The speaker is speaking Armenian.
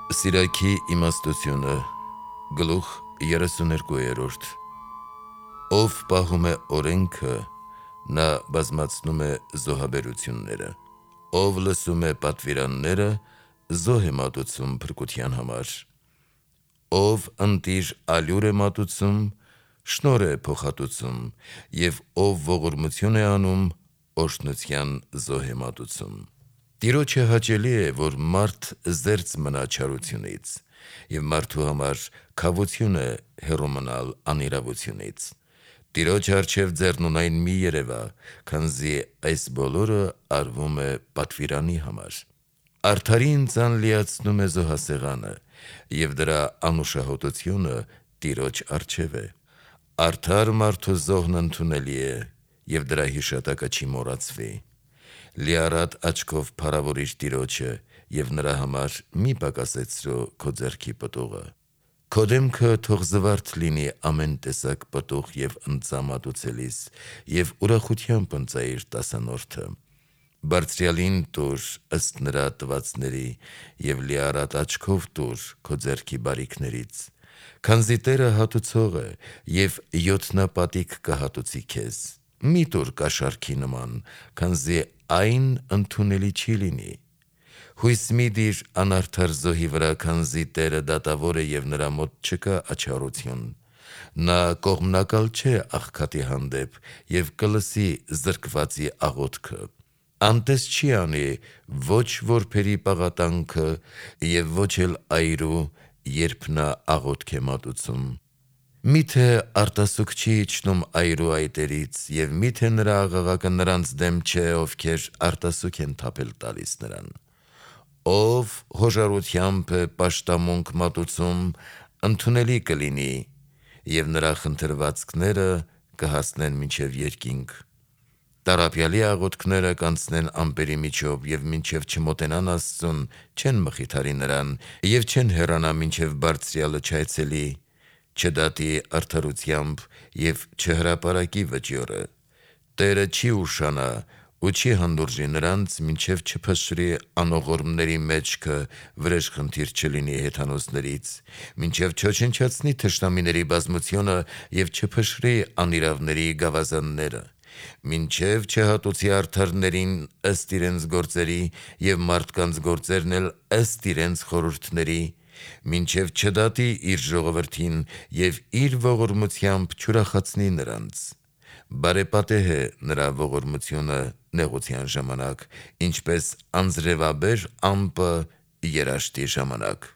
Սիրայքի իմաստությունը գլուխ 32 Ով պահում է օրենքը, նա բազմացնում է զոհաբերությունները, ով լսում է պատվիրանները, զոհ է մատուցում փրկության համար, ով ընտիր ալյուր է մատուցում, շնորհ է փոխհատուցում, և ով ողորմություն է անում, օրհնության զոհ է մատուցում։ Տիրոջը հաճելի է, որ մարդ զերծ մնա չարությունից, և մարդու համար քավություն է հեռու մնալ անիրավությունից։ Տիրոջ առջև ձեռնունայն մի երևա, քանզի այս բոլորը արվում է պատվիրանի համար։ Արդարին ձան լիացնում է զոհասեղանը, և դրա անուշահոտությունը Տիրոջ առջև է։ Արդար մարդու զոհն ընդունելի է, և դրա հիշատակը չի մոռացվի։ Լիառատ աչքով փառավորիր Տիրոջը, և նրա համար մի պակասեցրու քո ձեռքի պտուղը։ Քո դեմքը թող զվարթ լինի ամեն տեսակ պտուղ և ընծա մատուցելիս, և ուրախությամբ ընծայիր տասանորդը։ Բարձրյալին տուր ըստ նրա տվածների, և լիառատ աչքով տուր քո ձեռքի բարիքներից, քանզի Տերը հատուցող է, և յոթնապատիկ կհատուցի քեզ։ Մի տուր կաշառքի նման, քանզի այն ընդունելի չի լինի։ Հույս մի դիր անարդար զոհի վրա, քանզի Տերը դատավոր է, և նրա մոտ չկա աչառություն։ Նա կողմնակալ չէ աղքատի հանդեպ, և կլսի զրկվածի աղոթքը։ Անտես չի անի ոչ որբերի պաղատանքը, և ոչ էլ այրու, երբ նա աղոթք է մատուցում։ Միթե արտասուք չի իջնում այրու այտերից, և միթե նրա աղաղակը նրանց դեմ չէ, ովքեր արտասուք են թափել տալիս նրան։ Ով հոժարությամբ է պաշտամունք մատուցում, ընդունելի կլինի, և նրա խնդրվածքները կհասնեն մինչև երկինք։ Տառապյալի աղոթքները կանցնեն ամպերի միջով, և մինչև չմոտենան Աստծուն, չեն մխիթարի նրան, և չեն հեռանա, մինչև Բարձրյալը չայցելի, չդատի արդարությամբ և չհրապարակի վճիռը։ Տերը չի ուշանա ու չի հանդուրժի նրանց, մինչև չփշրի անողորմների մեջքը, վրեժխնդիր չլինի հեթանոսներից, մինչև չոչնչացնի թշնամիների բազմությունը և չփշրի անիրավների գավազանները, մինչև չհատուցի արդարներին ըստ իրենց գործերի, և մարդկանց գործերն էլ ըստ իրենց խորհուրդների, մինչև չդատի իր ժողովրդին և իր ողորմությամբ չուրախացնի նրանց։ Բարեպատեհ է նրա ողորմությունը նեղության ժամանակ, ինչպես անձրևաբեր ամպը երաշտի ժամանակ։